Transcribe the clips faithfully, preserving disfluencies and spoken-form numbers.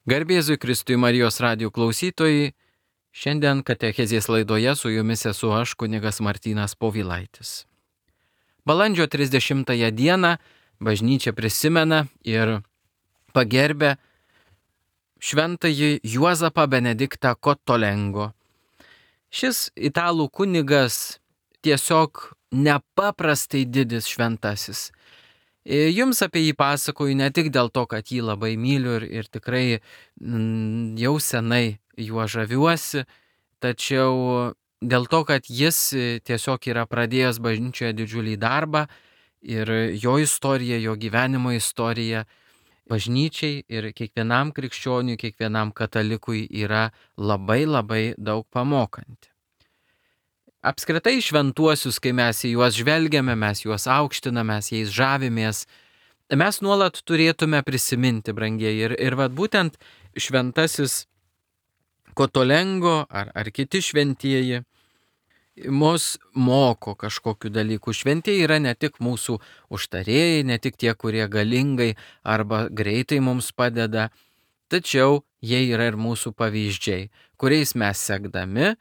Garbėzui Kristui Marijos radijo klausytojai, šiandien katechezės laidoje su jumis esu aš, kunigas Martynas Povilaitis. Balandžio trisdešimtąją dieną bažnyčia prisimena ir pagerbia šventąjį Juozapą Benediktą Cottolengo. Šis italų kunigas tiesiog nepaprastai didis šventasis. Jums apie jį pasakoju ne tik dėl to, kad jį labai myliu ir, ir tikrai mm, jau senai juo žaviuosi, tačiau dėl to, kad jis tiesiog yra pradėjęs bažnyčioje didžiulį darbą ir jo istorija, jo gyvenimo istorija bažnyčiai ir kiekvienam krikščioniui, kiekvienam katalikui yra labai labai daug pamokanti. Apskritai šventuosius, kai mes į juos žvelgiame, mes juos aukštiname, mes jais žavimės, mes nuolat turėtume prisiminti, brangieji. Ir, ir vat būtent šventasis Cottolengo ar, ar kiti šventieji mus moko kažkokiu dalyku. Šventieji yra ne tik mūsų užtarėjai, ne tik tie, kurie galingai arba greitai mums padeda, tačiau jie yra ir mūsų pavyzdžiai, kuriais mes sekdami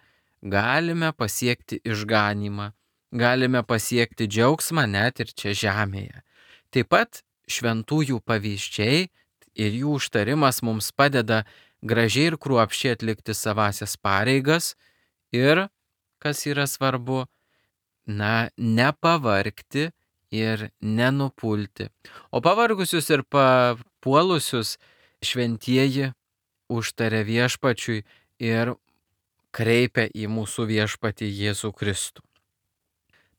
galime pasiekti išganymą, galime pasiekti džiaugsmą net ir čia žemėje. Taip pat šventųjų pavyzdžiai ir jų užtarimas mums padeda gražiai ir kruopščiai atlikti savasias pareigas ir, kas yra svarbu, na, nepavargti ir nenupulti. O pavargusius ir papuolusius šventieji užtaria viešpačiui ir kreipia į mūsų viešpatį Jėzų Kristų.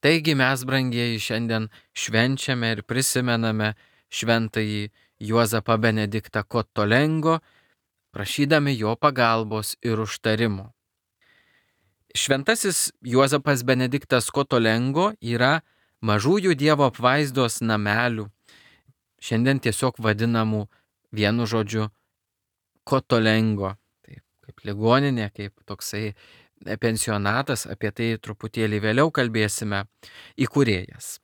Taigi mes, brangieji, šiandien švenčiame ir prisimename šventąjį Juozapą Benediktą Cottolengo, prašydami jo pagalbos ir užtarimo. Šventasis Juozapas Benediktas Cottolengo yra mažųjų Dievo apvaizdos namelių, šiandien tiesiog vadinamų vienu žodžiu Cottolengo. Kaip ligoninė, kaip toksai pensionatas, apie tai truputėlį vėliau kalbėsime, įkūrėjas.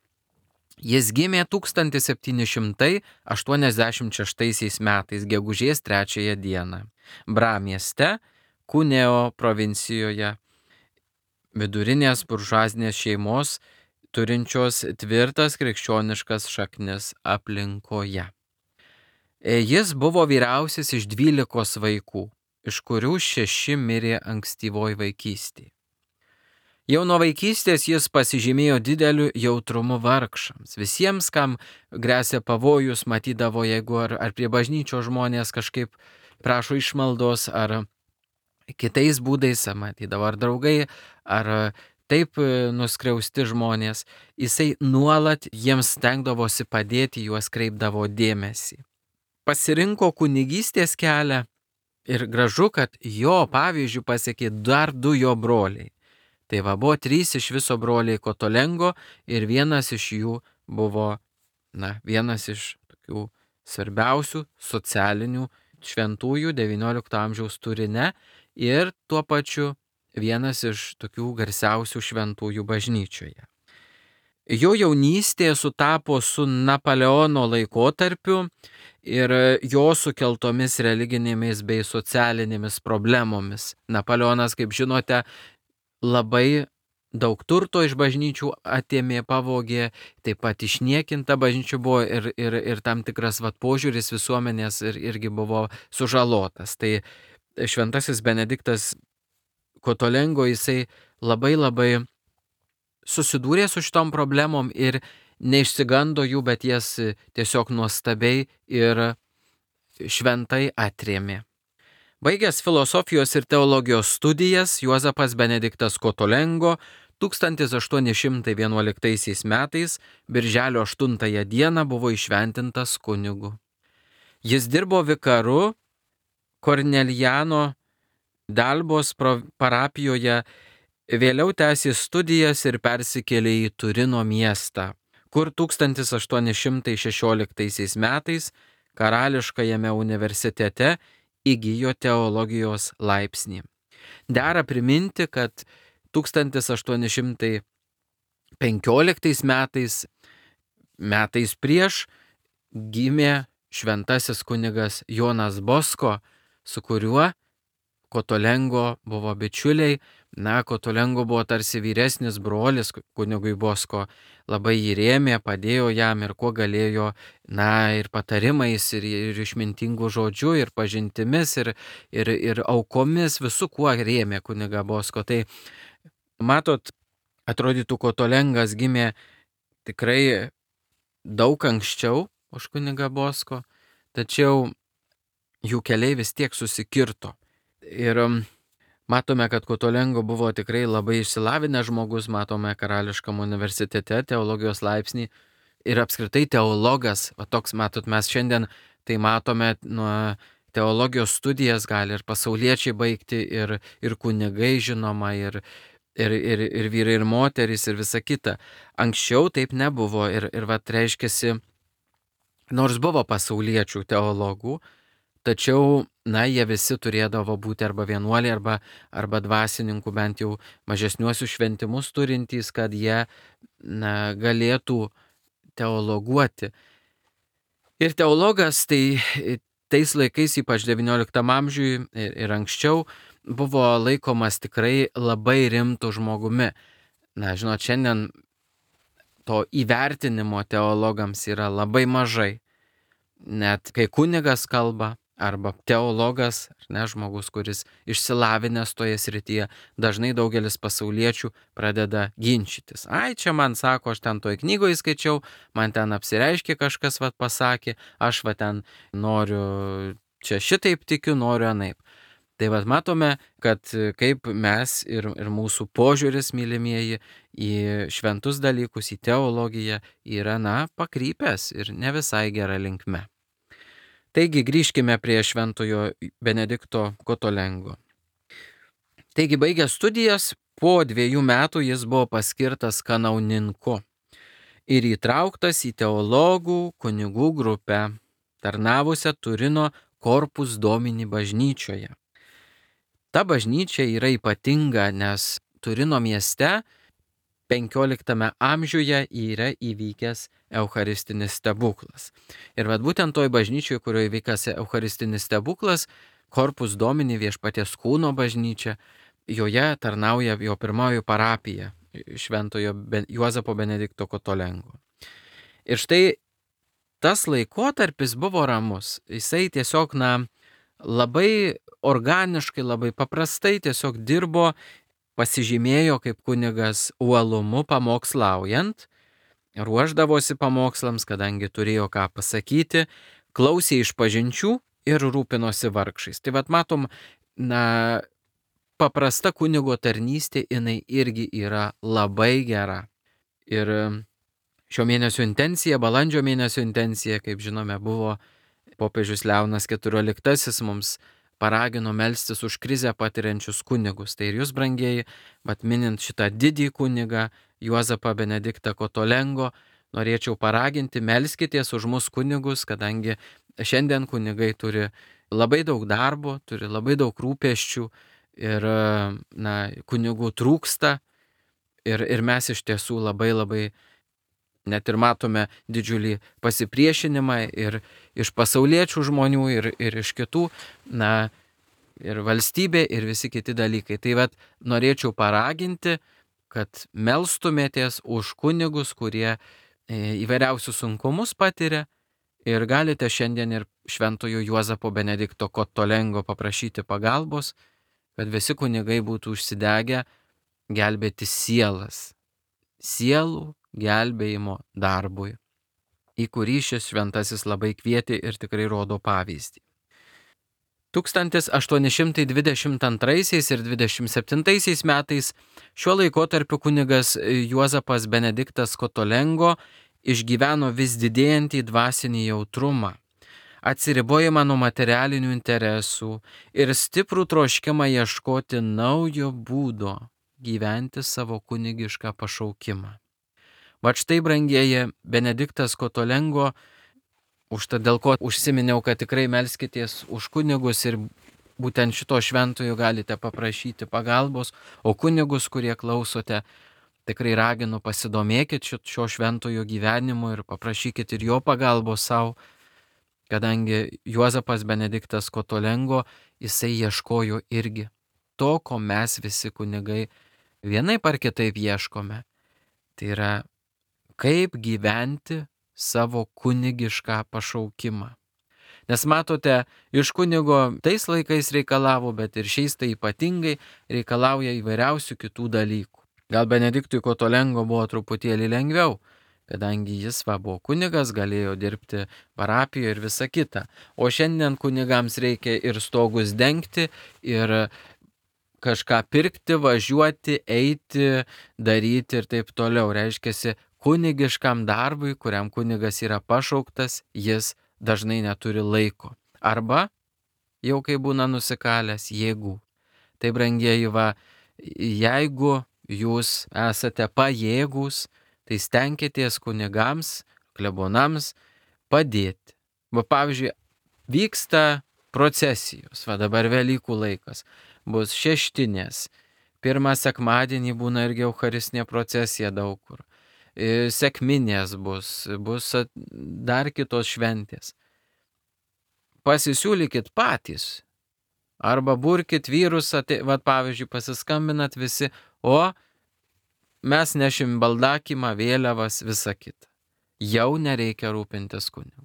Jis gimė tūkstantis septyni šimtai aštuoniasdešimt šeštaisiais metais, gegužės trečiąją dieną, Bra mieste, Cuneo provincijoje, vidurinės buržuazinės šeimos, turinčios tvirtas krikščioniškas šaknis aplinkoje. Jis buvo vyriausias iš dvylikos vaikų, iš kurių šeši mirė ankstyvoj vaikystėje. Jau nuo vaikystės jis pasižymėjo dideliu jautrumu vargšams. Visiems, kam grėsė pavojus, matydavo, jeigu ar, ar prie bažnyčios žmonės kažkaip prašo išmaldos, ar kitais būdais, matydavo ar draugai, ar taip nuskriausti žmonės, jisai nuolat jiems stengdavosi padėti, juos kreipdavo dėmesį. Pasirinko kunigystės kelią. Ir gražu, kad jo pavyzdžių pasiekė dar du jo broliai. Tai va, buvo trys iš viso broliai Cottolengo ir vienas iš jų buvo, na, vienas iš tokių svarbiausių socialinių šventųjų devyniolikto amžiaus Turine ir tuo pačiu vienas iš tokių garsiausių šventųjų bažnyčioje. Jo jaunystė sutapo su Napoleono laikotarpiu ir jo sukeltomis religinėmis bei socialinėmis problemomis. Napoleonas, kaip žinote, labai daug turto iš bažnyčių atėmė, pavogė, taip pat išniekinta bažnyčių buvo ir, ir, ir tam tikras vat, požiūris visuomenės ir, irgi buvo sužalotas. Tai šventasis Benediktas Cottolengo, jisai labai labai susidūrė su šitom problemom ir neišsigando jų, bet jas tiesiog nuostabiai ir šventai atrėmė. Baigęs filosofijos ir teologijos studijas, Juozapas Benediktas Cottolengo tūkstantis aštuoni šimtai vienuoliktaisiais metais, birželio aštuntąją dieną buvo įšventintas kunigu. Jis dirbo vikaru Kornelijano Dalbos parapijoje, vėliau tęsė studijas ir persikėlė į Turino miestą, kur tūkstantis aštuoni šimtai šešioliktaisiais metais Karališkajame universitete įgijo teologijos laipsnį. Dera priminti, kad tūkstantis aštuoni šimtai penkioliktais metais, metais prieš, gimė šventasis kunigas Jonas Bosko, su kuriuo Kotolengo buvo bičiuliai. Na, Kotolengo buvo tarsi vyresnis brolis kunigui Bosko, labai jį rėmė, padėjo jam ir kuo galėjo, na, ir patarimais, ir, ir išmintingų žodžių, ir pažintimis, ir, ir, ir aukomis, visų kuo rėmė kunigą Bosko. Tai matot, atrodytų, Kotolengas gimė tikrai daug anksčiau už kunigą Bosko, tačiau jų keliai vis tiek susikirto. Ir matome, kad Kotolengo buvo tikrai labai išsilavinęs žmogus, matome Karališkam universitete teologijos laipsnį ir apskritai teologas, va toks, matot, mes šiandien tai matome nuo teologijos studijas gali ir pasauliečiai baigti, ir, ir kunigai žinoma, ir, ir, ir, ir vyrai, ir moterys, ir visa kita. Anksčiau taip nebuvo ir, ir va reiškiasi, nors buvo pasauliečių teologų, tačiau, na, jie visi turėdavo būti arba vienuoliai, arba, arba dvasininkų, bent jau mažesniuosius šventimus turintys, kad jie, na, galėtų teologuoti. Ir teologas tai tais laikais, ypač devynioliktam amžiui ir, ir anksčiau, buvo laikomas tikrai labai rimtų žmogumi. Na, žinot, šiandien to įvertinimo teologams yra labai mažai. Net kai kunigas kalba, arba teologas, ar ne, žmogus, kuris išsilavinęs toje srityje, dažnai daugelis pasauliečių pradeda ginčytis. Ai, čia man sako, aš ten toj knygoje skaičiau, man ten apsireiškė kažkas, vat pasakė, aš va ten noriu, čia šitaip tikiu, noriu anaip. Tai vat matome, kad kaip mes ir, ir mūsų požiūris, mylimieji, į šventus dalykus, į teologiją yra, na, pakrypęs ir ne visai gera linkme. Taigi grįžkime prie šventojo Benedikto Kotolengo. Taigi baigęs studijas, po dviejų metų jis buvo paskirtas kanauninku ir įtrauktas į teologų kunigų grupę, tarnavusią Turino Corpus Domini bažnyčioje. Ta bažnyčia yra ypatinga, nes Turino mieste penkioliktame amžiuje yra įvykęs eucharistinis stebuklas. Ir vad būtent toj bažnyčioje, kurioje įvykęs eucharistinis stebuklas, Corpus Domini, Viešpaties kūno bažnyčia, joje tarnauja jo pirmoji parapija šventojo Juozapo Benedikto Kotolengo. Ir štai tas laikotarpis buvo ramus. Jisai tiesiog, na, labai organiškai, labai paprastai tiesiog dirbo, pasižymėjo kaip kunigas uolumu pamokslaujant, ruošdavosi pamokslams, kadangi turėjo ką pasakyti, klausė išpažinčių ir rūpinosi vargšais. Tai vat matom, na, paprasta kunigo tarnystė, jinai irgi yra labai gera. Ir šio mėnesio intencija, balandžio mėnesio intencija, kaip žinome, buvo popiežius Leonas keturioliktasis mums paragino melstis už krizę patiriančius kunigus. Tai ir jūs, brangieji, vat minint šitą didį kunigą Juozapą Benediktą Kotolengo, norėčiau paraginti, melskitės už mus kunigus, kadangi šiandien kunigai turi labai daug darbo, turi labai daug rūpesčių ir, na, kunigų trūksta ir, ir mes iš tiesų labai labai net ir matome didžiulį pasipriešinimą ir iš pasauliečių žmonių, ir, ir iš kitų, na, ir valstybė, ir visi kiti dalykai. Tai vat norėčiau paraginti, kad melstumėtės už kunigus, kurie įvairiausius sunkumus patiria, ir galite šiandien ir šventojo Juozapo Benedikto Kotolengo paprašyti pagalbos, kad visi kunigai būtų užsidegę gelbėti sielas, sielų gelbėjimo darbui, į kurį šis šventasis labai kvietė ir tikrai rodo pavyzdį. tūkstantis aštuoni šimtai dvidešimt antraisiais ir dvidešimt septintaisiais metais šiuo laikotarpiu kunigas Juozapas Benediktas Kotolengo išgyveno vis didėjantį dvasinį jautrumą, atsiribojimą nuo materialinių interesų ir stiprų troškimą ieškoti naujo būdo gyventi savo kunigišką pašaukimą. Vat štai, brangieji, Benediktas Kotolengo, užtat dėl ko užsiminiau, kad tikrai melskitės už kunigus ir būtent šito šventojo galite paprašyti pagalbos, o kunigus, kurie klausote, tikrai raginu, pasidomėkit šio šventojo gyvenimu ir paprašykit ir jo pagalbos savo. kadangi Juozapas Benediktas Kotolengo, jisai ieškojo irgi to, ko mes visi kunigai vienaip ar kitaip ieškome. Tai yra, kaip gyventi savo kunigišką pašaukimą. Nes matote, iš kunigo tais laikais reikalavo, bet ir šiais tai ypatingai reikalauja įvairiausių kitų dalykų. Gal Benediktui Kotolengo buvo truputėlį lengviau, kadangi jis va buvo kunigas, galėjo dirbti parapijoje ir visa kita. O šiandien kunigams reikia ir stogus dengti, ir kažką pirkti, važiuoti, eiti, daryti ir taip toliau. Reiškiasi, kunigiškam darbui, kuriam kunigas yra pašauktas, jis dažnai neturi laiko. Arba, jau kai būna nusikalęs, jėgų. Tai brangieji, va, jeigu jūs esate pajėgūs, tai stenkitės kunigams, klebonams padėti. Va, pavyzdžiui, vyksta procesijos, va dabar Velykų laikas, bus šeštinės, pirmą sekmadienį būna irgi eucharistinė procesija daug kur, sekminės bus, bus dar kitos šventės. Pasisiūlykit patys, arba burkit vyrus, ate, va pavyzdžiui, pasiskambinat visi, o mes nešim baldakimą, vėliavas, visą kitą. Jau nereikia rūpintis kunigu.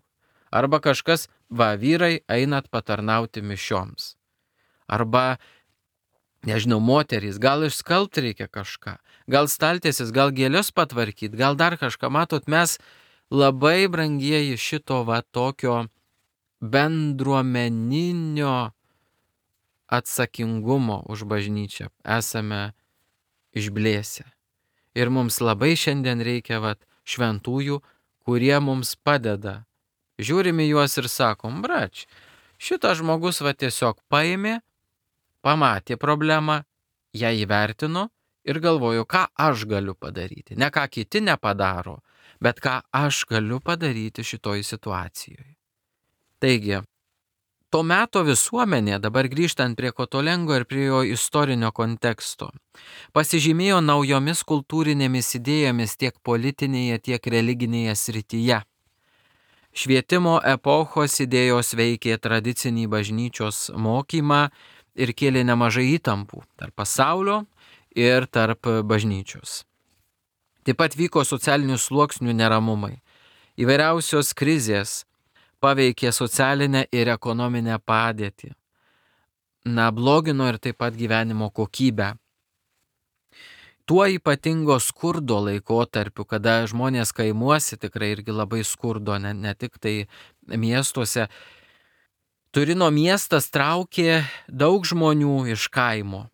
Arba kažkas, va, vyrai, einat patarnauti mišioms. Arba, nežinau, moterys, gal išskalbti reikia kažką, gal staltiesis, gal gėlius patvarkyti, gal dar kažką. Matot, mes labai brangieji šito va tokio bendruomeninio atsakingumo už bažnyčią esame išblėsę. Ir mums labai šiandien reikia va šventųjų, kurie mums padeda. Žiūrime juos ir sakom, brač, šitas žmogus va tiesiog paėmė, pamatė problemą, ją įvertino ir galvoju, ką aš galiu padaryti. Ne ką kiti nepadaro, bet ką aš galiu padaryti šitoj situacijoje. Taigi, to meto visuomenė, dabar grįžtant prie Kotolengo ir prie jo istorinio konteksto, pasižymėjo naujomis kultūrinėmis idėjomis tiek politinėje, tiek religinėje srityje. Švietimo epochos idėjos veikė tradicinį bažnyčios mokymą ir kėlė nemažai įtampų tarp pasaulio ir tarp bažnyčios. Taip pat vyko socialinių sluoksnių neramumai. Įvairiausios krizės paveikė socialinę ir ekonominę padėtį. Na, blogino ir taip pat gyvenimo kokybę. Tuo ypatingo skurdo laikotarpiu, kada žmonės kaimuose tikrai irgi labai skurdo, ne, ne tik tai miestuose. Turino miestas traukė daug žmonių iš kaimo,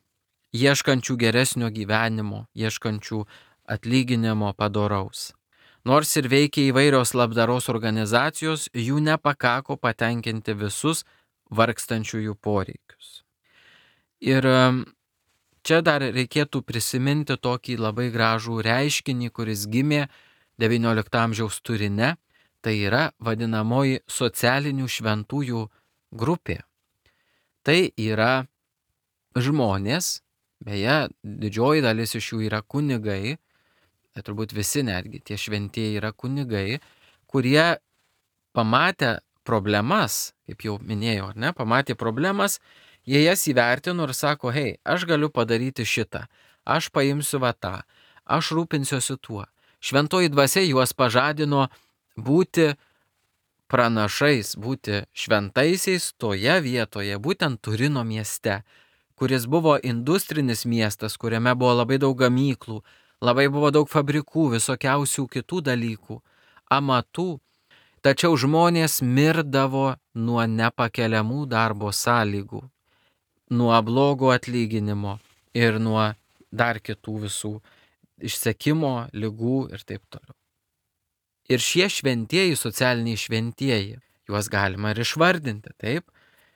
ieškančių geresnio gyvenimo, ieškančių atlyginimo padoraus. Nors ir veikia įvairios labdaros organizacijos, jų nepakako patenkinti visus vargstančiųjų poreikius. Ir čia dar reikėtų prisiminti tokį labai gražų reiškinį, kuris gimė devyniolikto amžiaus Turine, tai yra vadinamoji socialinių šventųjų grupė. Tai yra žmonės, beje, didžioji dalis iš jų yra kunigai, tai turbūt visi netgi tie šventieji yra kunigai, kurie pamatė problemas, kaip jau minėjau, ar ne, pamatė problemas, jie jas įvertino ir sako, hei, aš galiu padaryti šitą, aš paimsiu va tą, aš rūpinsiuosi tuo. Šventoji dvasia juos pažadino būti pranašais, būti šventaisiais toje vietoje, būtent Turino mieste, kuris buvo industrinis miestas, kuriame buvo labai daug gamyklų, labai buvo daug fabrikų, visokiausių kitų dalykų, amatų. Tačiau žmonės mirdavo nuo nepakeliamų darbo sąlygų, nuo blogo atlyginimo ir nuo dar kitų visų išsekimo, ligų ir taip toliau. Ir šie šventieji, socialiniai šventieji, juos galima ir išvardinti, taip?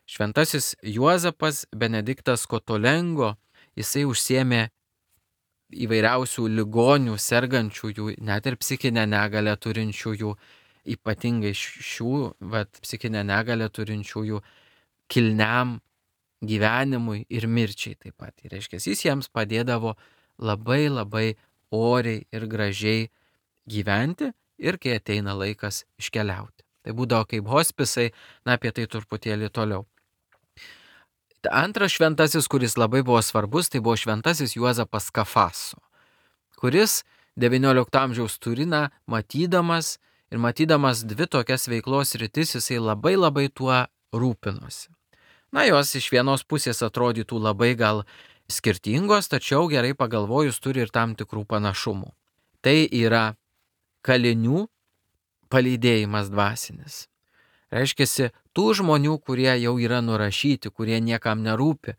Šventasis Juozapas Benediktas Kotolengo, jisai užsiėmė įvairiausių ligonių, sergančiųjų, net ir psichinę negalę turinčiųjų, ypatingai šių, vat, psichinę negalę turinčiųjų kilniam gyvenimui ir mirčiai taip pat. Ir reiškia, jis jiems padėdavo labai labai oriai ir gražiai gyventi ir kai ateina laikas iškeliauti. Tai būdavo kaip hospisai, na apie tai truputėlį toliau. Antras šventasis, kuris labai buvo svarbus, tai buvo šventasis Juozapas Kafaso, kuris devyniolikto amžiaus Turiną matydamas ir matydamas dvi tokias veiklos rytis, jisai labai labai tuo rūpinosi. Na, jos iš vienos pusės atrodytų labai gal skirtingos, tačiau gerai pagalvojus turi ir tam tikrų panašumų. Tai yra kalinių palydėjimas dvasinis. Reiškiasi, tų žmonių, kurie jau yra nurašyti, kurie niekam nerūpi,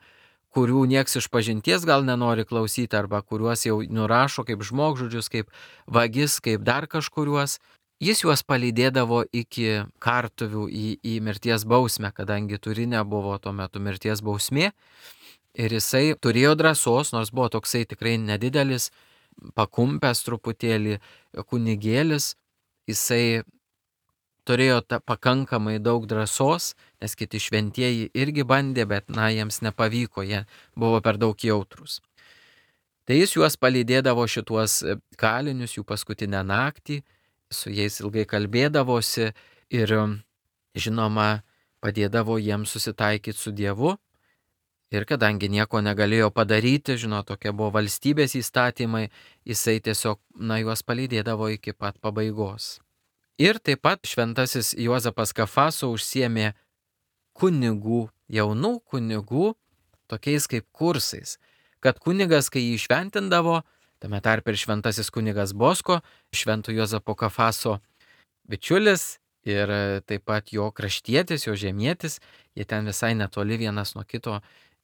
kurių nieks iš pažinties gal nenori klausyti, arba kuriuos jau nurašo kaip žmogžudžius, kaip vagis, kaip dar kažkuriuos, jis juos palydėdavo iki kartuvių į, į mirties bausmę, kadangi Turine buvo tuo metu mirties bausmė. Ir jisai turėjo drąsos, nors buvo toksai tikrai nedidelis, pakumpęs truputėlį kunigėlis, jisai turėjo ta, pakankamai daug drąsos, nes kiti šventieji irgi bandė, bet na, jiems nepavyko, jie buvo per daug jautrus. Tai jis juos palydėdavo šituos kalinius jų paskutinę naktį, su jais ilgai kalbėdavosi ir, žinoma, padėdavo jiems susitaikyti su Dievu. Ir kadangi nieko negalėjo padaryti, žinot, tokie buvo valstybės įstatymai, jisai tiesiog, na, juos palydėdavo iki pat pabaigos. Ir taip pat šventasis Juozapas Kafaso užsiėmė kunigų, jaunų kunigų, tokiais kaip kursais, kad kunigas, kai jį šventindavo, tame tarpe ir šventasis kunigas Bosko, švento Juozapo Kafaso bičiulis ir taip pat jo kraštietis, jo žemietis, jie ten visai netoli vienas nuo kito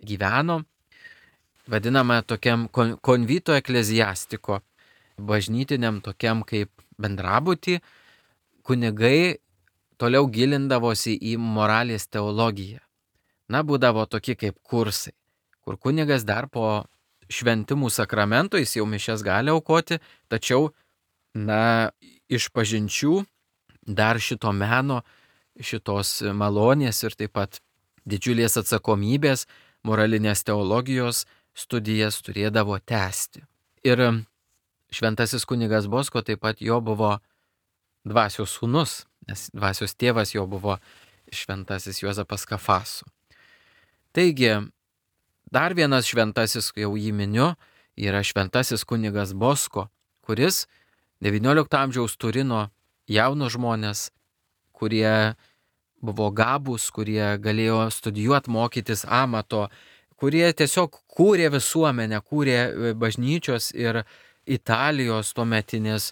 gyveno, vadinama tokiam konvito ekleziastiko, bažnytiniam tokiam kaip bendrabutį, kunigai toliau gilindavosi į moralės teologiją. Na, būdavo tokie kaip kursai, kur kunigas dar po šventimų sakramento, jis jau mišias gali aukoti, tačiau, na, iš pažinčių dar šito meno, šitos malonės ir taip pat didžiulės atsakomybės, moralinės teologijos studijas turėdavo tęsti. Ir šventasis kunigas Bosko taip pat jo buvo dvasios sūnus, nes dvasios tėvas jo buvo šventasis Juozapas Kafaso. Taigi, dar vienas šventasis, jau jį miniu, yra šventasis kunigas Bosko, kuris devyniolikto amžiaus Turino jaunus žmonės, kurie buvo gabūs, kurie galėjo studijuoti, mokytis amato, kurie tiesiog kūrė visuomenę, kūrė bažnyčios ir Italijos tuometinės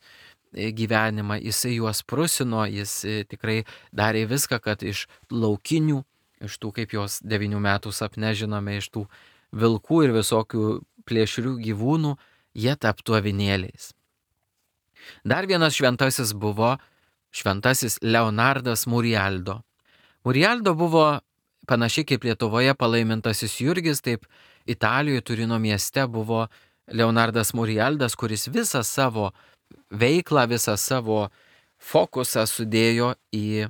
gyvenimą. Jisai juos prusino, jis tikrai darė viską, kad iš laukinių, iš tų, kaip jos devynių metų sapne žinome, iš tų vilkų ir visokių plėšrių gyvūnų, jie taptų avinėliais. Dar vienas šventasis buvo šventasis Leonardas Murialdo. Murialdo buvo panašiai kaip Lietuvoje palaimintasis Jurgis, taip Italijoje Turino mieste buvo Leonardas Murialdas, kuris visą savo veiklą, visą savo fokusą sudėjo į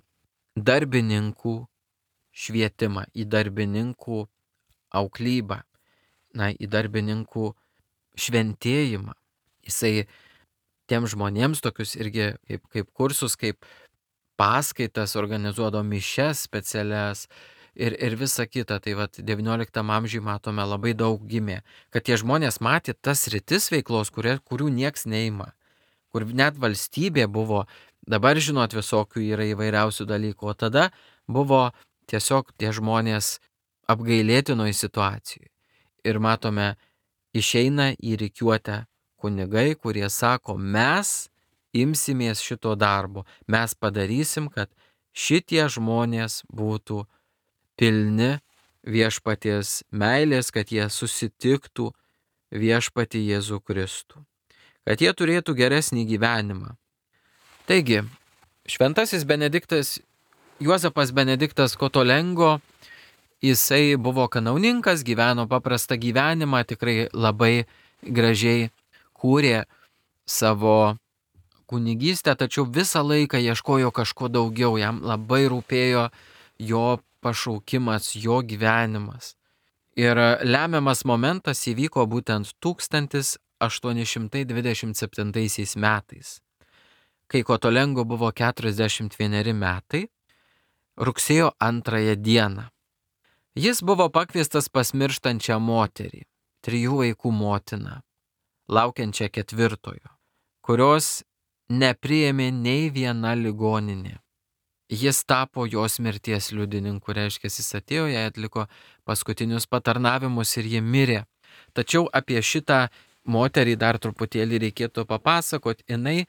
darbininkų švietimą, į darbininkų auklybą, na, į darbininkų šventėjimą. Jisai tiem žmonėms tokius irgi kaip, kaip kursus, kaip paskaitas organizuodavo, mišias specialias ir, ir visa kita. Tai vat devynioliktam amžiui matome labai daug gimė, kad tie žmonės matė tas rytis veiklos, kurie, kurių nieks neima, kur net valstybė buvo, dabar žinot visokių yra įvairiausių dalykų, o tada buvo tiesiog tie žmonės apgailėtinoj situacijai. Ir matome, išeina į rikiuotę kunigai, kurie sako, mes imsimės šito darbo, mes padarysim, kad šitie žmonės būtų pilni viešpaties meilės, kad jie susitiktų viešpatį Jėzų Kristų, kad jie turėtų geresnį gyvenimą. Taigi, šventasis Benediktas, Juozapas Benediktas Kotolengo, jisai buvo kanauninkas, gyveno paprastą gyvenimą, tikrai labai gražiai kūrė savo kunigystę, tačiau visą laiką ieškojo kažko daugiau, jam labai rūpėjo jo pašaukimas, jo gyvenimas. Ir lemiamas momentas įvyko būtent tūkstantis aštuoni šimtai dvidešimt septintaisiais metais, kai Kotolengo buvo keturiasdešimt vieneri metai rugsėjo antrąją dieną. Jis buvo pakviestas pas mirštančią moterį, trijų vaikų motiną, laukiančią ketvirtojo, kurios nepriėmė nei viena ligoninė. Jis tapo jos mirties liudininku, reiškia, jis atėjo, jai atliko paskutinius patarnavimus ir ji mirė. Tačiau apie šitą moterį dar truputėlį reikėtų papasakoti. Jinai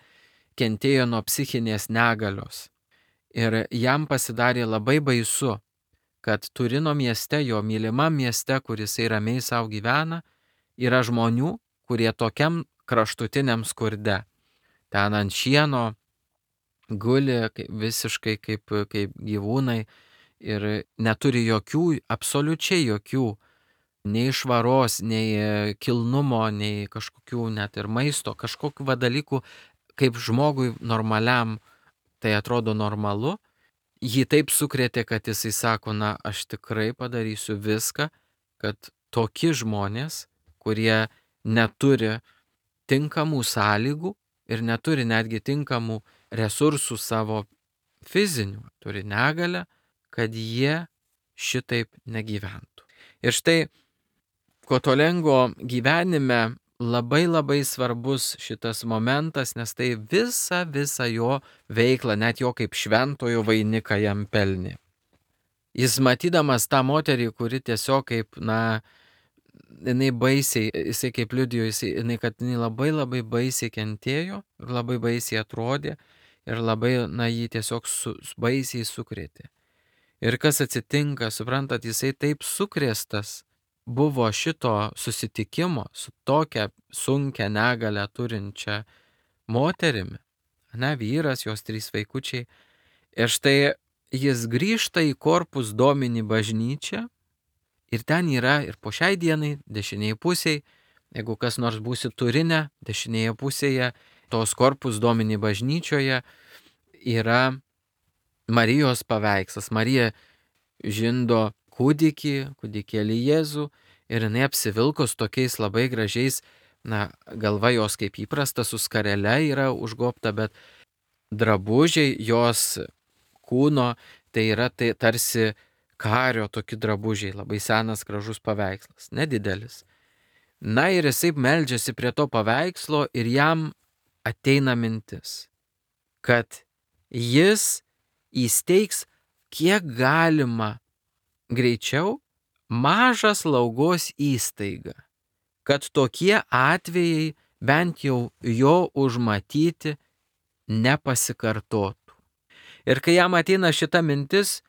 kentėjo nuo psichinės negalios. Ir jam pasidarė labai baisu, kad Turino mieste, jo mylimam mieste, kuris ramiai savo gyvena, yra žmonių, kurie tokiam kraštutiniam skurde. Ten ant šieno guli visiškai kaip, kaip gyvūnai ir neturi jokių, absoliučiai jokių, nei švaros, nei kilnumo, nei kažkokių net ir maisto, kažkokių va dalykų, kaip žmogui normaliam tai atrodo normalu. Jį taip sukrėtė, kad jisai sako, na, aš tikrai padarysiu viską, kad tokie žmonės, kurie neturi tinkamų sąlygų ir neturi netgi tinkamų resursų savo fizinių, turi negalę, kad jie šitaip negyventų. Ir štai Kotolengo gyvenime labai labai svarbus šitas momentas, nes tai visa, visa jo veikla, net jo kaip šventojo vainiką jam pelnė. Jis matydamas tą moterį, kuri tiesiog kaip, na, jinai baisiai, jisai kaip liudijo, jisai, jinai, kad jinai labai labai baisiai kentėjo, labai baisiai atrodė ir labai, na, jį tiesiog su, baisiai sukrėtė. Ir kas atsitinka, suprantat, jisai taip sukrėstas buvo šito susitikimo su tokia sunkia negalę turinčia moterimi, ne, vyras, jos trys vaikučiai. Ir štai jis grįžta į Corpus Domini bažnyčią ir ten yra ir po šiai dienai dešinėje pusėje, jeigu kas nors būsi Turine, dešinėje pusėje tos Corpus Domini bažnyčioje yra Marijos paveikslas. Marija žindo kūdikį, kūdikėlį Jėzų ir jinai apsivilkus tokiais labai gražiais, na, galva jos kaip įprasta su skarele yra užgobta, bet drabužiai jos kūno tai yra tai tarsi kario tokie drabužiai, labai senas gražus paveikslas, nedidelis. Na ir jisai meldžiasi prie to paveikslo ir jam ateina mintis, kad jis įsteigs kiek galima greičiau mažą slaugos įstaigą, kad tokie atvejai bent jau jo užmatyti nepasikartotų. Ir kai jam ateina šita mintis,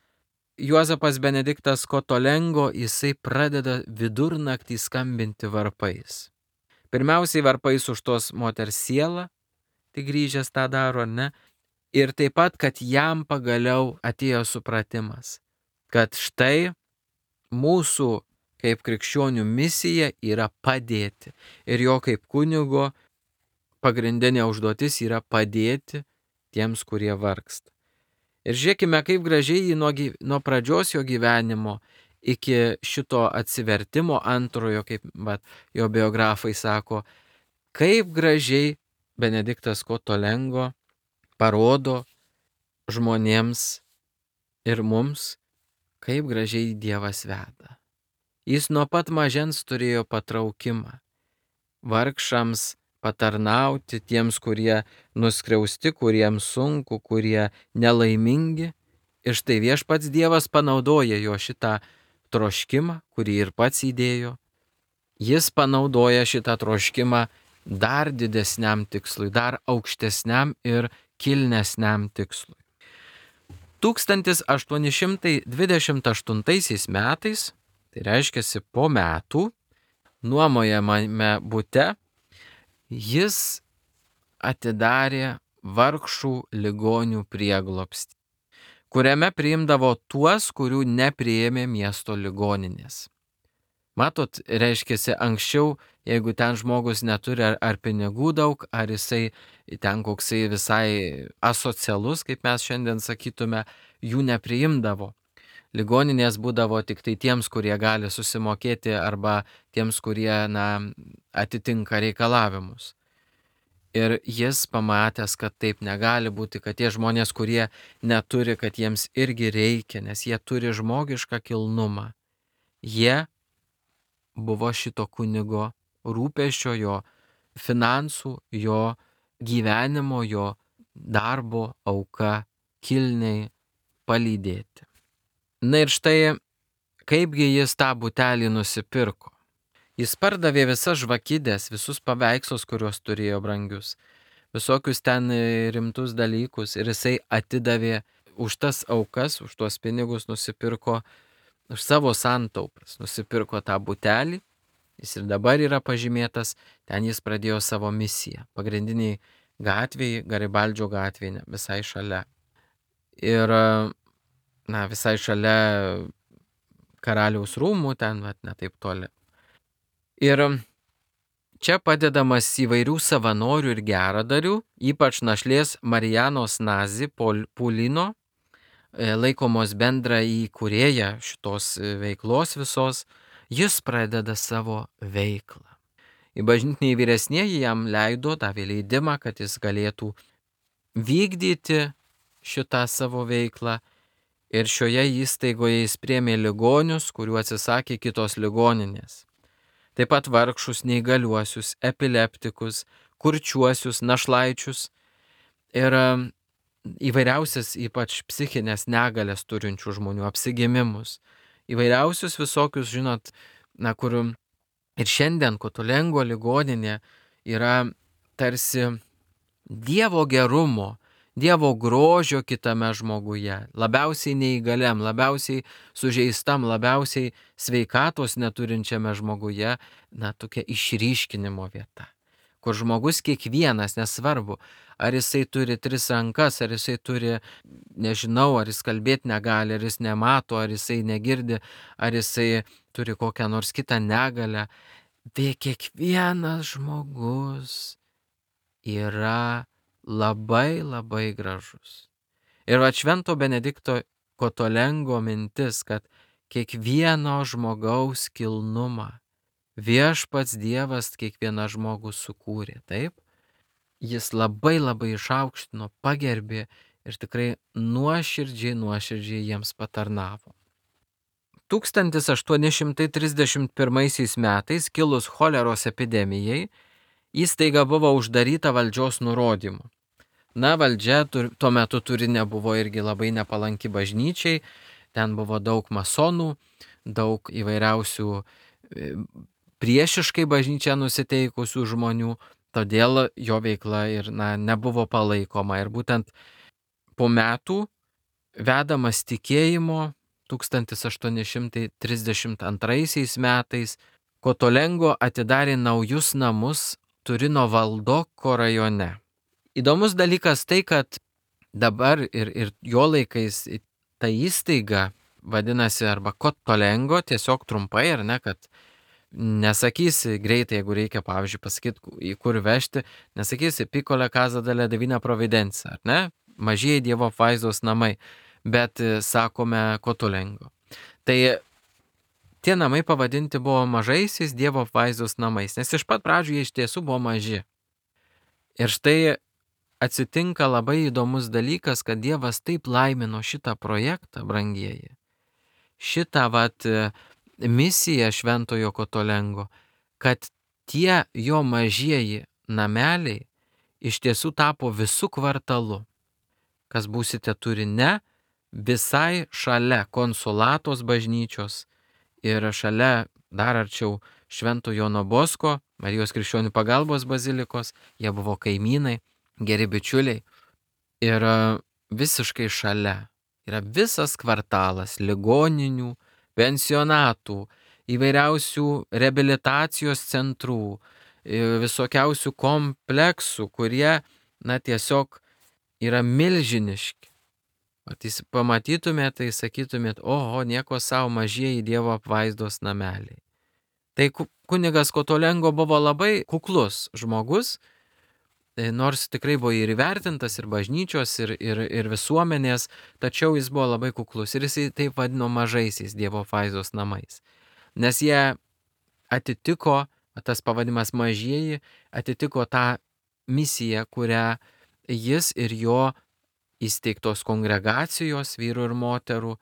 Juozapas Benediktas Kotolengo, jisai pradeda vidurnaktį skambinti varpais. Pirmiausiai varpais už tos moters sielą, tai grįžęs tą daro, ne? Ir taip pat, kad jam pagaliau atėjo supratimas, kad štai mūsų kaip krikščionių misija yra padėti. Ir jo kaip kunigo pagrindinė užduotis yra padėti tiems, kurie vargsta. Ir žiūrėkime, kaip gražiai jį nuo, nuo pradžios jo gyvenimo iki šito atsivertimo antrojo, kaip bet, jo biografai sako, kaip gražiai Benediktas Kotolengo parodo žmonėms ir mums, kaip gražiai Dievas veda. Jis nuo pat mažens turėjo patraukimą vargšams patarnauti, tiems, kurie nuskriausti, kuriems sunku, kurie nelaimingi. Ir štai viešpats Dievas panaudoja jo šitą troškimą, kurį ir pats įdėjo. Jis panaudoja šitą troškimą dar didesniam tikslui, dar aukštesniam ir kilnesniam tikslui. tūkstantis aštuoni šimtai dvidešimt aštuntaisiais metais, tai reiškia po metų, nuomojamame bute, jis atidarė vargšų ligonių prieglobstį, kuriame priimdavo tuos, kurių nepriėmė miesto ligoninės. Matot, reiškia, anksčiau, jeigu ten žmogus neturi ar, ar pinigų daug, ar jisai ten koksai visai asocialus, kaip mes šiandien sakytume, jų nepriimdavo. Ligoninės būdavo tik tai tiems, kurie gali susimokėti arba tiems, kurie, na, atitinka reikalavimus. Ir jis pamatęs, kad taip negali būti, kad tie žmonės, kurie neturi, kad jiems irgi reikia, nes jie turi žmogišką kilnumą. Jie buvo šito kunigo rūpesčio, jo finansų, jo gyvenimo, jo darbo auka kilniai palydėti. Na ir štai, kaipgi jis tą butelį nusipirko. Jis pardavė visas žvakidės, visus paveikslus, kuriuos turėjo brangius, visokius ten rimtus dalykus, ir jisai atidavė už tas aukas, už tuos pinigus nusipirko, už savo santaupas nusipirko tą butelį. Jis ir dabar yra pažymėtas, ten jis pradėjo savo misiją. Pagrindiniai gatvėje, Garibaldžio gatvėje, visai šalia. Ir, na, visai šalia karaliaus rūmų, ten, vat, ne taip toli. Ir čia padedamas įvairių savanorių ir geradarių, ypač našlės Marijanos Nazi Pulino, laikomos bendra įkūrėja šitos veiklos visos, jis pradeda savo veiklą. Į bažnytiniai vyresnieji jam leido, davė leidimą, kad jis galėtų vykdyti šitą savo veiklą. Ir šioje įstaigoje jis priėmė ligonius, kurių atsisakė kitos ligoninės. Taip pat vargšus, neįgaliuosius, epileptikus, kurčiuosius, našlaičius ir įvairiausias, ypač psichinės negalės turinčių žmonių, apsigimimus. Įvairiausius visokius, žinot, na, kur ir šiandien Kotolengo ligoninė yra tarsi Dievo gerumo, Dievo grožio kitame žmoguje, labiausiai neįgaliam, labiausiai sužeistam, labiausiai sveikatos neturinčiame žmoguje, na, tokia išryškinimo vieta, kur žmogus kiekvienas, nesvarbu, ar jisai turi tris rankas, ar jisai turi, nežinau, ar jis kalbėti negali, ar jis nemato, ar jisai negirdi, ar jisai turi kokią nors kitą negalę, bet kiekvienas žmogus yra labai labai gražus. Ir va Švento Benedikto Kotolengo mintis, kad kiekvieno žmogaus kilnumą viešpats Dievas kiekvieną žmogų sukūrė, taip? Jis labai labai išaukštino, pagerbė ir tikrai nuoširdžiai, nuoširdžiai jiems patarnavo. tūkstantis aštuoni šimtai trisdešimt pirmaisiais metais kilus choleros epidemijai, įstaiga buvo uždaryta valdžios nurodymu. Na, valdžia tuo metu turi nebuvo irgi labai nepalanki bažnyčiai, ten buvo daug masonų, daug įvairiausių priešiškai bažnyčią nusiteikusių žmonių, todėl jo veikla ir, na, nebuvo palaikoma. Ir būtent po metų, vedamas tikėjimo, tūkstantis aštuoni šimtai trisdešimt antraisiais metais, Kotolengo atidarė naujus namus Turino Valdoko rajone. Įdomus dalykas tai, kad dabar ir, ir jo laikais ta įstaiga vadinasi arba Kotolengo, tiesiog trumpai, ar ne, kad nesakysi greitai, jeigu reikia, pavyzdžiui, pasakyti, į kur vežti, nesakysi Piccola Casa della Divina Providenza, ar ne, mažieji Dievo apvaizdos namai, bet sakome Kotolengo. Tai tie namai pavadinti buvo mažaisiais Dievo apvaizdos namais, nes iš pat pradžių jie iš tiesų buvo maži. Ir štai atsitinka labai įdomus dalykas, kad Dievas taip laimino šitą projektą, brangieji, šitą vat misiją Šventojo Kotolengo, kad tie jo mažieji nameliai iš tiesų tapo visų kvartalu. Kas būsite Turine, visai šalia Konsolatos bažnyčios ir šalia dar arčiau Švento Jono Bosko, Marijos Krikščionių pagalbos bazilikos, jie buvo kaimynai, geri bičiuliai. Ir visiškai šalia yra visas kvartalas ligoninių, pensionatų, įvairiausių reabilitacijos centrų, visokiausių kompleksų, kurie, na, tiesiog yra milžiniški. O tai pamatytumėt, tai sakytumėt, oho, nieko savo, mažieji Dievo apvaizdos nameliai. Tai kunigas Kotolengo buvo labai kuklus žmogus, nors tikrai buvo ir įvertintas ir bažnyčios, ir, ir, ir visuomenės, tačiau jis buvo labai kuklus ir jisai taip vadino mažaisiais Dievo apvaizdos namais. Nes jie atitiko, tas pavadimas mažieji, atitiko tą misija, kurią jis ir jo įsteigtos kongregacijos vyrų ir moterų,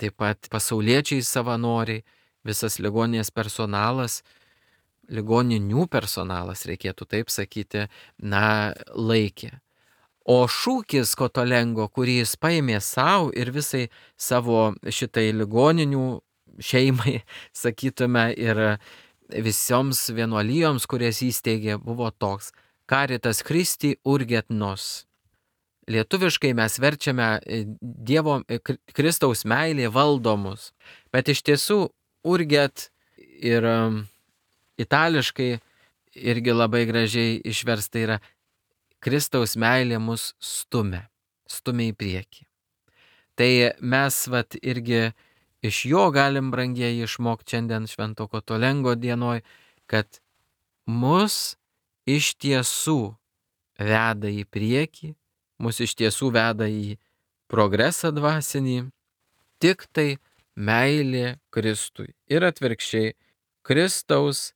taip pat pasauliečiai savanoriai, visas ligoninės personalas, ligoninių personalas, reikėtų taip sakyti, na, laikė. O šūkis Kotolengo, kurį jis paėmė savo ir visai savo šitai ligoninių šeimai, sakytume, ir visoms vienuolijoms, kurias įsteigė, buvo toks: Caritas Christi urget nos. Lietuviškai mes verčiame Dievo Kristaus meilė valdomus, bet iš tiesų urget ir itališkai irgi labai gražiai išversta yra Kristaus meilė mus stumia, stumia į priekį. Tai mes vat irgi iš jo galim, brangieji, išmokti šiandien Švento Kotolengo dienoj, kad mus iš tiesų veda į priekį, mus iš tiesų veda į progresą dvasinį, tik tai meilė Kristui ir atvirkščiai Kristaus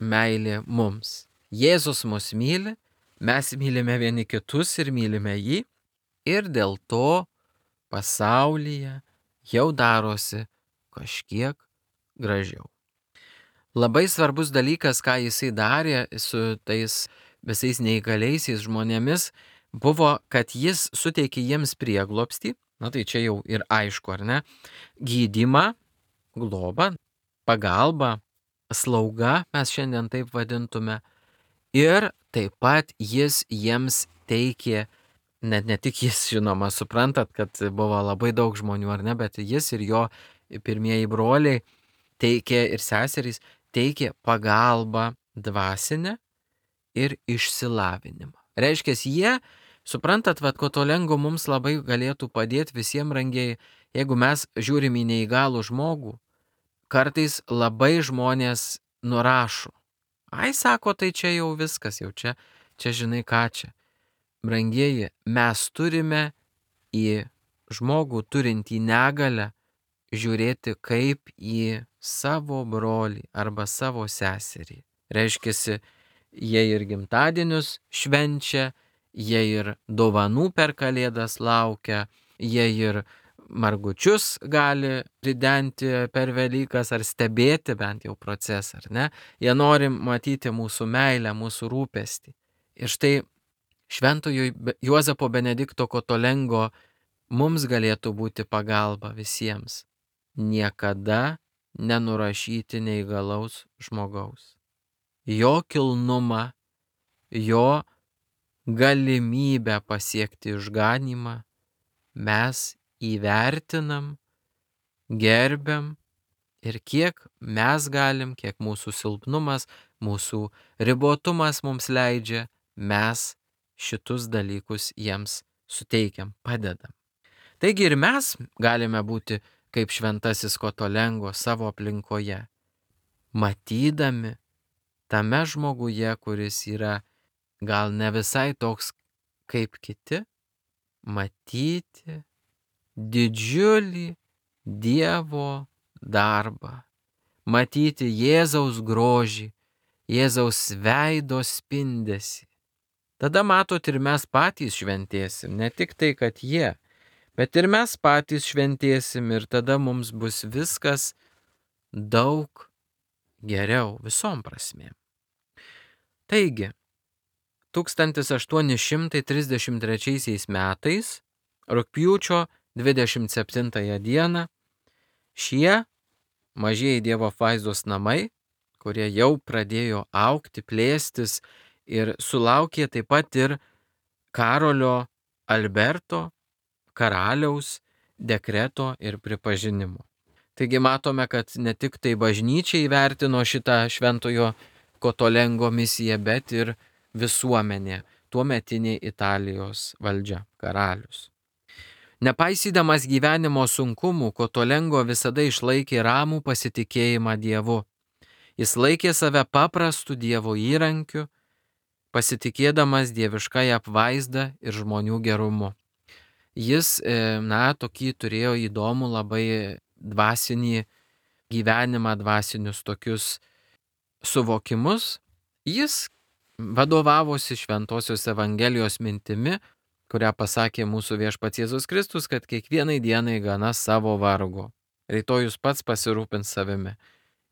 meilė mums. Jėzus mus myli, mes mylime vieni kitus ir mylime jį, ir dėl to pasaulyje jau darosi kažkiek gražiau. Labai svarbus dalykas, ką jisai darė su tais visais neįgaliaisiais žmonėmis, buvo, kad jis suteikė jiems prieglobstį, na tai čia jau ir aišku, ar ne, gydymą, globą, pagalbą, slaugą, mes šiandien taip vadintume, ir taip pat jis jiems teikė, net ne tik jis, žinoma, suprantat, kad buvo labai daug žmonių, ar ne, bet jis ir jo pirmieji broliai teikė ir seserys teikė pagalbą dvasinę ir išsilavinimą. Reiškia, jie, suprantat, vad Kotolengo mums labai galėtų padėti visiems, brangieji, jeigu mes žiūrim į neįgalų žmogų, kartais labai žmonės nurašo. Ai, sako, tai čia jau viskas, jau čia, čia žinai ką čia. Brangieji, mes turime į žmogų turintį negalią žiūrėti kaip į savo brolį arba savo seserį. Reiškia, jie ir gimtadienius švenčia, jie ir dovanų per Kalėdas laukia, jie ir margučius gali ridenti per Velykas ar stebėti bent jau procesą, ar ne? Jie nori matyti mūsų meilę, mūsų rūpestį. Ir štai Šventojo Juozapo Benedikto Kotolengo mums galėtų būti pagalba visiems. Niekada nenurašyti neįgalaus žmogaus. Jo kilnumą, jo galimybę pasiekti išganymą mes įvertinam, gerbiam ir kiek mes galim, kiek mūsų silpnumas, mūsų ribotumas mums leidžia, mes šitus dalykus jiems suteikiam, padedam. Taigi ir mes galime būti kaip šventasis Kotolengo savo aplinkoje, matydami tame žmoguje, kuris yra gal ne visai toks kaip kiti, matyti didžiulį Dievo darbą, matyti Jėzaus grožį, Jėzaus veido spindesį. Tada matot ir mes patys šventėsim, ne tik tai, kad jie, bet ir mes patys šventėsim ir tada mums bus viskas daug geriau visom prasmėm. Taigi, tūkstantis aštuoni šimtai trisdešimt trečiaisiais metais, rugpjūčio dvidešimt septintąją dieną, šie mažieji Dievo apvaizdos namai, kurie jau pradėjo augti, plėstis ir sulaukė taip pat ir Karolio Alberto karaliaus dekreto ir pripažinimo. Taigi matome, kad ne tik tai bažnyčia įvertino šitą Šventojo Kotolengo misiją, bet ir visuomenė, tuometinė Italijos valdžia, karalius. Nepaisydamas gyvenimo sunkumų, Kotolengo visada išlaikė ramų pasitikėjimą Dievu. Jis laikė save paprastu Dievo įrankiu, pasitikėdamas dieviškąją apvaizdą ir žmonių gerumu. Jis, na, tokį turėjo įdomų labai dvasinį gyvenimą, dvasinius tokius suvokimus. Jis vadovavosi Šventosios Evangelijos mintimi, kurią pasakė mūsų Viešpats Jėzus Kristus, kad kiekvienai dienai gana savo vargo. Rytojus pats pasirūpins savimi.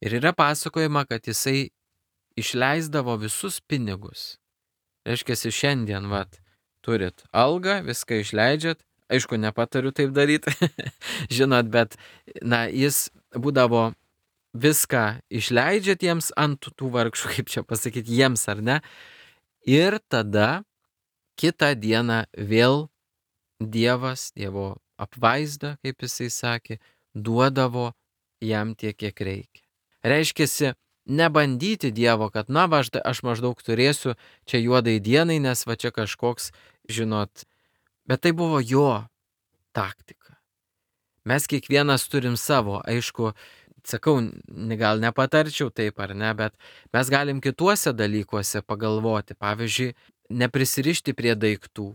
Ir yra pasakojama, kad jisai išleisdavo visus pinigus. Reiškia, šiandien, vat, turit algą, viską išleidžiat. Aišku, nepatariu taip daryti, žinot, bet, na, jis būdavo viską išleidžia tiems ant tų vargšų, kaip čia pasakyti, jiems ar ne. Ir tada kitą dieną vėl Dievas, Dievo apvaizda, kaip jisai sakė, duodavo jam tiek, kiek reikia. Reiškiasi, nebandyti Dievo, kad na, va, aš maždaug turėsiu čia juodai dienai, nes va čia kažkoks, žinot, bet tai buvo jo taktika. Mes kiekvienas turim savo, aišku, sakau, gal nepatarčiau taip ar ne, bet mes galim kituose dalykuose pagalvoti. Pavyzdžiui, neprisirišti prie daiktų,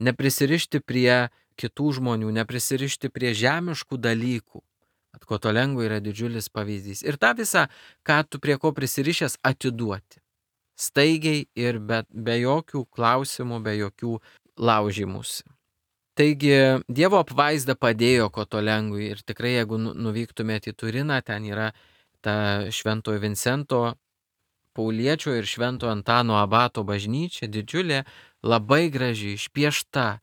neprisirišti prie kitų žmonių, neprisirišti prie žemiškų dalykų. Kotolengo yra didžiulis pavyzdys. Ir tą visą, ką tu prie ko prisirišęs, atiduoti. Staigiai ir be, be jokių klausimų, be jokių laužimusi. Taigi Dievo apvaizda padėjo Kotolengui ir tikrai jeigu nuvyktumėte į Turiną, ten yra ta Šventojo Vincento Pauliečio ir Švento Antano abato bažnyčia, didžiulė, labai graži, išpiešta,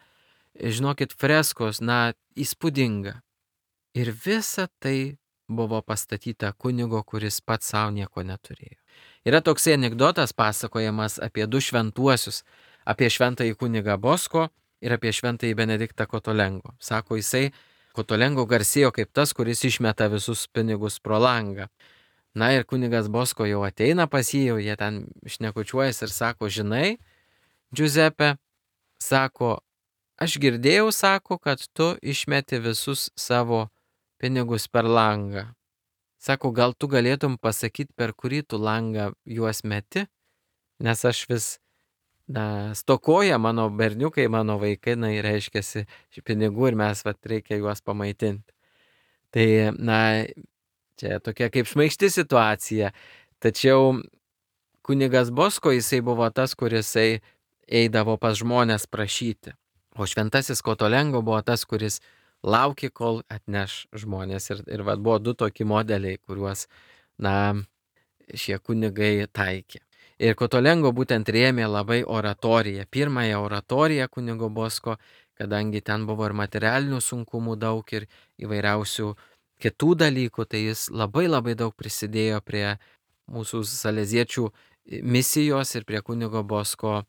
žinokit, freskos, na, įspūdinga. Ir visa tai buvo pastatyta kunigo, kuris pats savo nieko neturėjo. Yra toksai anekdotas pasakojamas apie du šventuosius, apie šventąjį kunigą Bosko ir apie šventąjį Benediktą Kotolengo. Sako, jisai Kotolengo garsėjo kaip tas, kuris išmeta visus pinigus pro langą. Na ir kunigas Bosko jau ateina pas jį, jau jie ten šnekučiuojas ir sako, žinai, Giuseppe, sako, aš girdėjau, sako, kad tu išmeti visus savo pinigus per langą. Sako, gal tu galėtum pasakyti, per kurį tu langą juos meti, nes aš vis, na, stokoja mano berniukai, mano vaikai, na, reiškiasi pinigų ir mes, vat, reikia juos pamaitinti. Tai, na, čia tokia kaip šmaikšti situacija, tačiau kunigas Bosko, jisai buvo tas, kuris eidavo pas žmonės prašyti, o šventasis Kotolengo buvo tas, kuris laukė, kol atneš žmonės. Ir, ir vat, buvo du tokie modeliai, kuriuos, na, šie kunigai taikė. Ir Kotolengo būtent rėmė labai oratoriją, pirmąją oratoriją kunigo Bosko, kadangi ten buvo ir materialinių sunkumų daug ir įvairiausių kitų dalykų, tai jis labai labai daug prisidėjo prie mūsų saleziečių misijos ir prie kunigo Bosko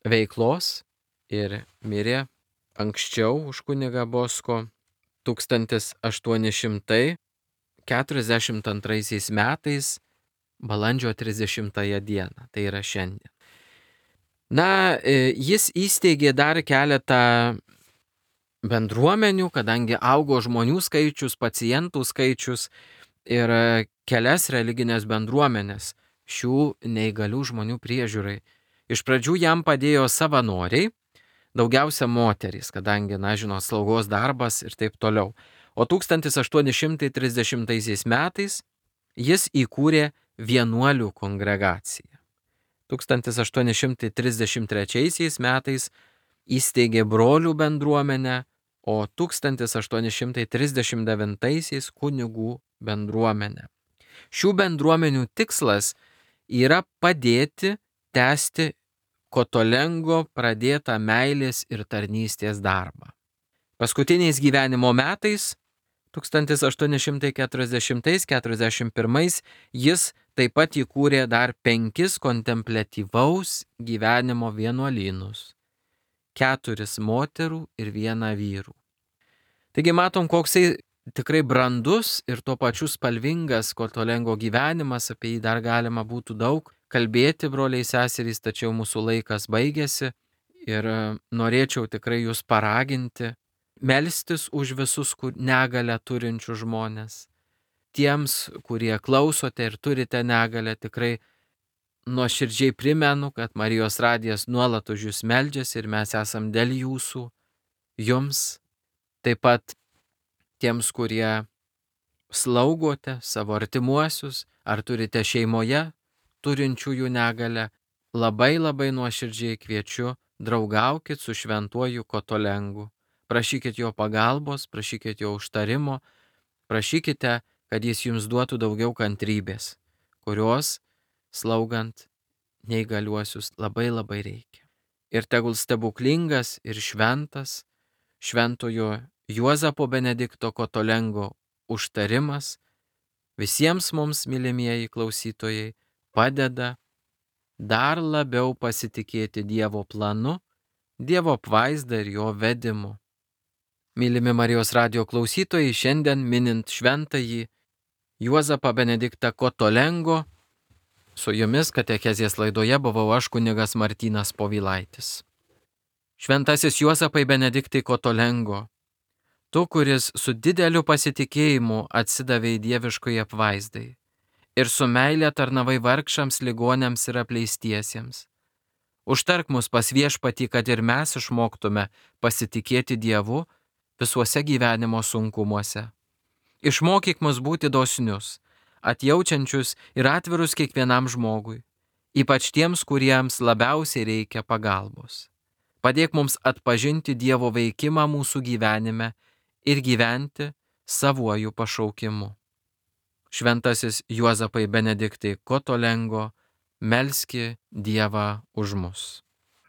veiklos ir mirė anksčiau už kunigą Bosko tūkstantis aštuoni šimtai keturiasdešimt antraisiais metais balandžio trisdešimtąją dieną, tai yra šiandien. Na, jis įsteigė dar keletą bendruomenių, kadangi augo žmonių skaičius, pacientų skaičius ir kelias religinės bendruomenės šių neįgalių žmonių priežiūrai. Iš pradžių jam padėjo savanoriai, daugiausia moterys, kadangi, na, žinot, slaugos darbas ir taip toliau. O tūkstantis aštuoni šimtai trisdešimtaisiais metais jis įkūrė vienuolių kongregaciją. tūkstantis aštuoni šimtai trisdešimt trečiaisiais metais įsteigė brolių bendruomenę, o tūkstantis aštuoni šimtai trisdešimt devintaisiais kunigų bendruomenę. Šių bendruomenių tikslas yra padėti tęsti Kotolengo pradėtą meilės ir tarnystės darbą. Paskutiniais gyvenimo metais, tūkstantis aštuoni šimtai keturiasdešimtais keturiasdešimt pirmais, jis taip pat įkūrė dar penkis kontempliatyvaus gyvenimo vienuolynus, keturis moterų ir vieną vyrų. Taigi matom, koksai tikrai brandus ir tuo pačiu spalvingas Kotolengo gyvenimas, apie jį dar galima būtų daug kalbėti, broliai seserys, tačiau mūsų laikas baigėsi ir norėčiau tikrai jūs paraginti, melstis už visus negalę turinčių žmonės. Tiems, kurie klausote ir turite negalę, tikrai nuoširdžiai primenu, kad Marijos radijas nuolat už jūs meldžiasi ir mes esam dėl jūsų, jums, taip pat tiems, kurie slaugote savo artimuosius, ar turite šeimoje turinčiųjų negalę, labai labai nuoširdžiai kviečiu, draugaukit su šventuoju Kotolengu. Prašykit jo pagalbos, prašykit jo užtarimo, prašykite, kad jis jums duotų daugiau kantrybės, kurios slaugant neįgaliuosius labai labai reikia. Ir tegul stebuklingas ir šventas šventojo Juozapo Benedikto Kotolengo užtarimas visiems mums, mylimieji klausytojai, padeda dar labiau pasitikėti Dievo planu, Dievo apvaizda ir jo vedimu. Mylimi Marijos radijo klausytojai, šiandien minint šventąjį Juozapą Benediktą Kotolengo, su jumis katekezės laidoje buvau aš, kunigas Martynas Povilaitis. Šventasis Juozapai Benediktai Kotolengo, tu, kuris su dideliu pasitikėjimu atsidavei dieviškai apvaizdai ir su meilė tarnavai vargšams, ligoniams ir apleistiesiems. Užtark mus pas Viešpatį, kad ir mes išmoktume pasitikėti Dievu visuose gyvenimo sunkumuose. Išmokyk mus būti dosnius, atjaučiančius ir atvirus kiekvienam žmogui, ypač tiems, kuriems labiausiai reikia pagalbos. Padėk mums atpažinti Dievo veikimą mūsų gyvenime ir gyventi savuoju pašaukimu. Šventasis Juozapai Benediktai Kotolengo, melski Dievą už mus.